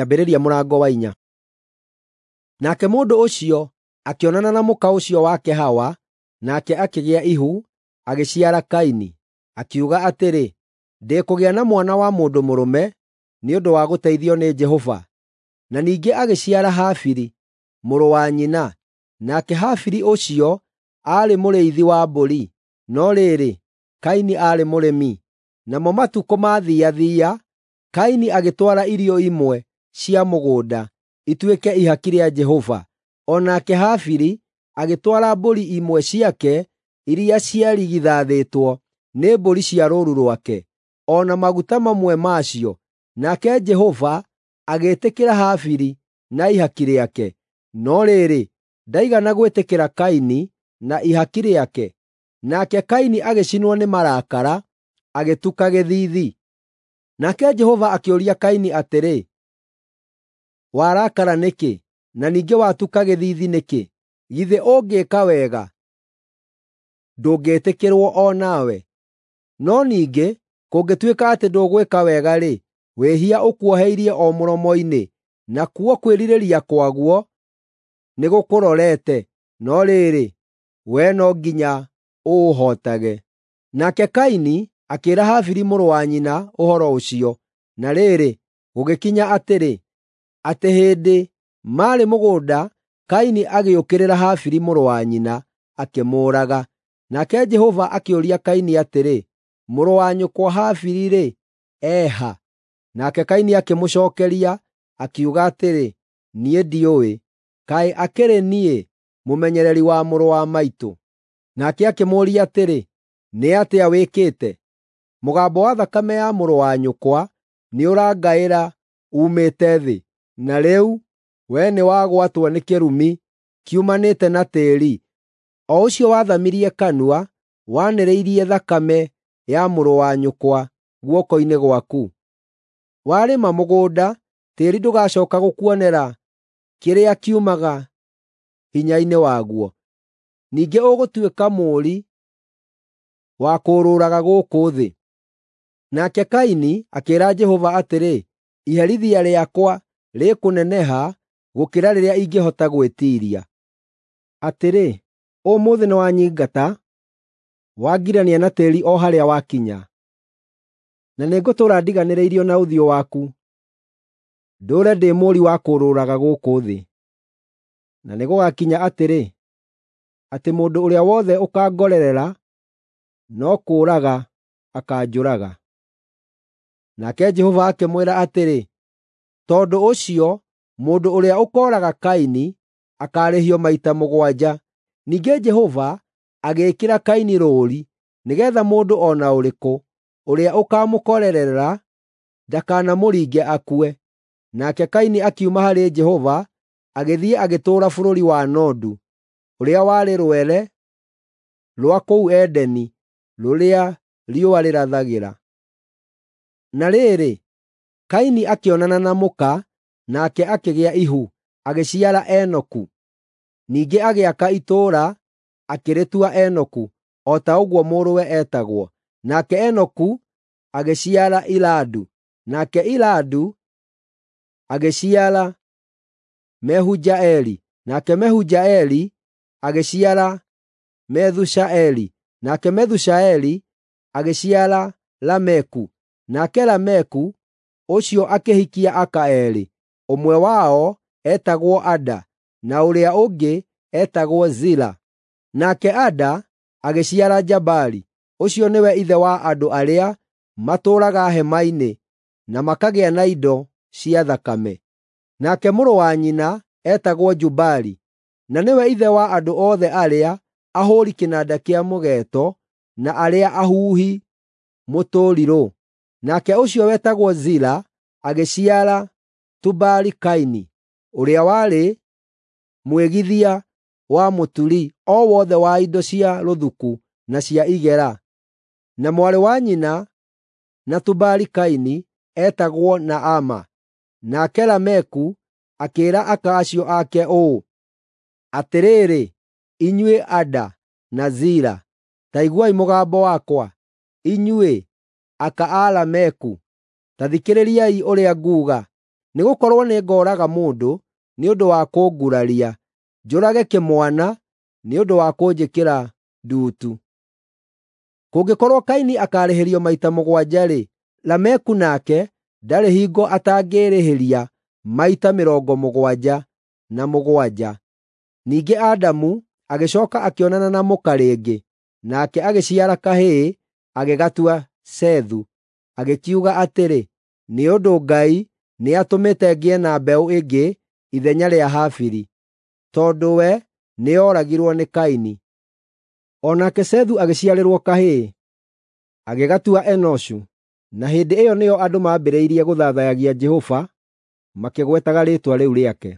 Kĩambĩrĩria mũrango wa 4. Nake mũndũ ũcio akĩonana na mũka ũcio wake Hawa, nake akĩgĩa ihu, agĩciara Kaini, akiuga atĩrĩ, “Ndĩkũgĩa na mwana wa mũndũ mũrũme nĩ ũndũ wa gũteithio nĩ Jehova.” Na ningĩ agĩciara Habili, mũrũ wa nyina. Nake Habili ũcio aarĩ mũrĩithi wa mbũri, no rĩrĩ, Kaini aarĩ mũrĩmi. Namo matukũ maathiathia, Kaini agĩtwara irio imwe cia mũgũnda ituĩke ihaki rĩa Jehova. O nake Habili agĩtwara mbũri imwe ciake iria ciarigithathĩtwo nĩ mbũri cia rũũru rwake, o na maguta mamwe macio. Nake Jehova agĩĩtĩkĩra Habili na ihaki rĩake, no rĩrĩ, ndaigana gwĩtĩkĩra Kaini na ihaki rĩake. Nake Kaini agĩcinwo nĩ marakara, agĩtuka gĩthiithi. Nake Jehova akĩũria Kaini atĩrĩ, “Warakara nĩkĩ, na ningĩ watuka gĩthiithi nĩkĩ? Githĩ ũngĩĩka wega, ndũngĩĩtĩkĩrwo o nawe? No ningĩ kũngĩtuĩka atĩ ndũgwĩka wega-rĩ, wĩhia ũkuoheirie o mũromo-inĩ, nakuo kwĩrirĩria kwaguo nĩgũkũrorete, no rĩrĩ, wee no nginya ũũhootage.” Nake Kaini akĩĩra Habili mũrũ wa nyina ũhoro ũcio. Na rĩrĩ, gũgĩkinya atĩrĩ, atĩ hĩndĩ maarĩ mũgũnda, Kaini agĩũkĩrĩra Habili mũrũ wa nyina, akĩmũũraga. Nake Jehova akĩũria Kaini atĩrĩ, “Mũrũ wa nyũkwa Habili-rĩ, e ha?” Nake Kaini akĩmũcookeria, akiuga atĩrĩ, “Niĩ ndiũĩ. Kaĩ akĩrĩ niĩ mũmenyereri wa mũrũ wa maitũ?” Nake akĩmũũria atĩrĩ, “Nĩ atĩa wĩkĩte? Mũgambo wa thakame ya mũrũ wa nyũkwa nĩũrangaĩra uumĩte thĩ. Na rĩu wee nĩwagwatwo nĩ kĩrumi kiumanĩte na tĩĩri, o ũcio wathamirie kanua wanĩrĩirie thakame ya mũrũ wa nyũkwa guoko-inĩ gwaku. Warĩma mũgũnda, tĩĩri ndũgacooka gũkuonera kĩrĩa kiumaga hinya-inĩ waguo. Ningĩ ũgũtuĩka mũũri wa kũũrũraga gũkũ thĩ.” Nake Kaini akĩĩra Jehova atĩrĩ, “Iherithia rĩakwa rĩkũneneha gũkĩra rĩrĩa ingĩhota gwĩtiiria. Atĩrĩ, ũmũthĩ nĩwanyingata, wangirania na tĩĩri o harĩa wakinya, na nĩngũtũũra ndiganĩrĩirio na ũthiũ waku, ndũũre ndĩ mũũri wa kũũrũraga gũkũ thĩ. Na nĩgũgakinya atĩrĩ, atĩ mũndũ ũrĩa wothe ũkangorerera no kũũraga akaanjũraga.” Nake Jehova akĩmwĩra atĩrĩ, “Tondũ ũcio mũndũ ũrĩa ũkooraga Kaini akaarĩhio maita 7.” Ningĩ Jehova agĩĩkĩra Kaini rũũri nĩgeetha mũndũ o na ũrĩkũ ũrĩa ũkaamũkorerera ndakanamũringe akue. Nake Kaini akiuma harĩ Jehova agĩthiĩ agĩtũũra bũrũri wa Nodu, ũrĩa warĩ rwere rwa kũu Edeni rũrĩa riũa rĩrathagĩra. Na rĩrĩ, Kaini akĩonana na mũka, nake akĩgĩa ihu, agĩciara Enoku. Ningĩ agĩaka itũũra, akĩrĩtua Enoku, o ta ũguo mũrũwe etagwo. Nake Enoku agĩciara Iradu, nake Iradu agĩciara Mehujaeli, nake Mehujaeli agĩciara Methushaeli, nake Methushaeli agĩciara Lameku. Nake Lameku ũcio akĩhikia aka eerĩ, ũmwe wao etagwo Ada, na ũrĩa ũngĩ etagwo Zila. Nake Ada agĩciara Jabali, ũcio nĩwe ithe wa andũ arĩa matũũraga hema-inĩ na makagĩa na indo cia thakame. Nake mũrũ wa nyina etagwo Jubali, na nĩwe ithe wa andũ othe arĩa ahũũri kĩnanda kĩa mũgeeto na arĩa ahuhi mũtũrirũ. Nake ũcio wetagwo Zila agĩciara Tubali-Kaini, ũrĩa warĩ mwĩgithia wa mũturi o wothe wa indo cia rũthuku na cia igera. Na mwarĩ wa nyina na Tubali-Kaini etagwo Naama. Nake Lameku akĩĩra aka acio ake ũũ, “Atĩrĩrĩ, inyuĩ Ada na Zila, ta iguai mũgambo wakwa; inyuĩ aka a Lameku, ta thikĩrĩriai ũrĩa nguuga. Nĩgũkorwo nĩngooraga mũndũ nĩ ũndũ wa kũnguraria, njũrage kĩmwana nĩ ũndũ wa kũnjĩkĩra nduutu. Kũngĩkorwo Kaini akaarĩhĩrio maita mũgwanja-rĩ, Lameku nake ndarĩ hingo atangĩĩrĩhĩria maita 77. Ningĩ Adamu agĩcooka akĩonana na mũka rĩngĩ, nake agĩciara kahĩĩ, agĩgatua Sethu, agĩkiuga atĩrĩ, “Nĩ ũndũ Ngai nĩatũmĩte ngĩe na mbeũ ĩngĩ ithenya rĩa Habili, tondũ we nĩooragirwo nĩ Kaini.” O nake Sethu agĩciarĩrwo kahĩĩ, agĩgatua Enoshu, na hĩndĩ ĩyo nĩyo andũ mambĩrĩirie gũthathaiyagia Jehova makĩgwetaga rĩĩtwa rĩu rĩake.